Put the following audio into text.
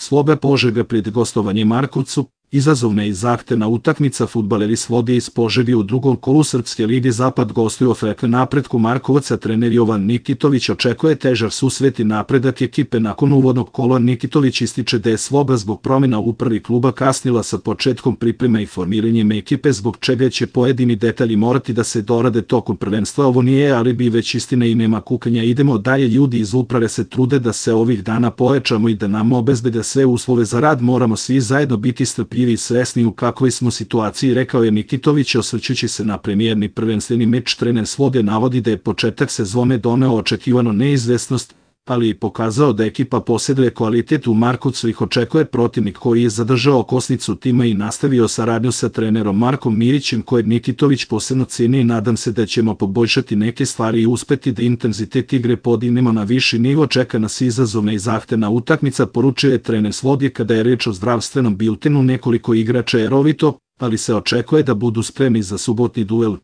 Slobe Požega pred gostovanje Markovcu, izazovna i zahtevna utakmica. Fudbaleri Slobije iz Požege u drugom kolu Srpske lige Zapad gostuju FK Napretku Markovaca. Trener Jovan Nikitović očekuje težak susret i napredak ekipe. Nakon uvodnog kola Nikitović ističe da je Sloba zbog promjena u upravi kluba kasnila sa početkom pripreme i formiranjem ekipe, zbog čega će pojedini detalji morati da se dorade tokom prvenstva. Ovo nije alibi, već istina i nema kukanja. Idemo dalje, ljudi iz uprave se trude da se ovih dana pojačamo i da nam obezbede sve uslove za rad. Moramo svi zajedno biti strpljivi i svesni u kakvoj smo situaciji, rekao je Nikitović osvrćući se na premijerni prvenstveni meč. Trener Slobije navodi da je početak sezone doneo očekivano neizvesnost, ali i pokazao da ekipa posjeduje kvalitet. U Markovcu ih očekuje protivnik koji je zadržao okosnicu tima i nastavio saradnju sa trenerom Markom Mirićem, kojeg Nikitović posebno ceni. Nadam se da ćemo poboljšati neke stvari i uspeti da intenzitet igre podignemo na viši nivo. Čeka nas izazovna i zahtevna utakmica, poručio je trener Slobije. Kada je reč o zdravstvenom biltenu, nekoliko igrača je rovito, ali se očekuje da budu spremni za subotni duel.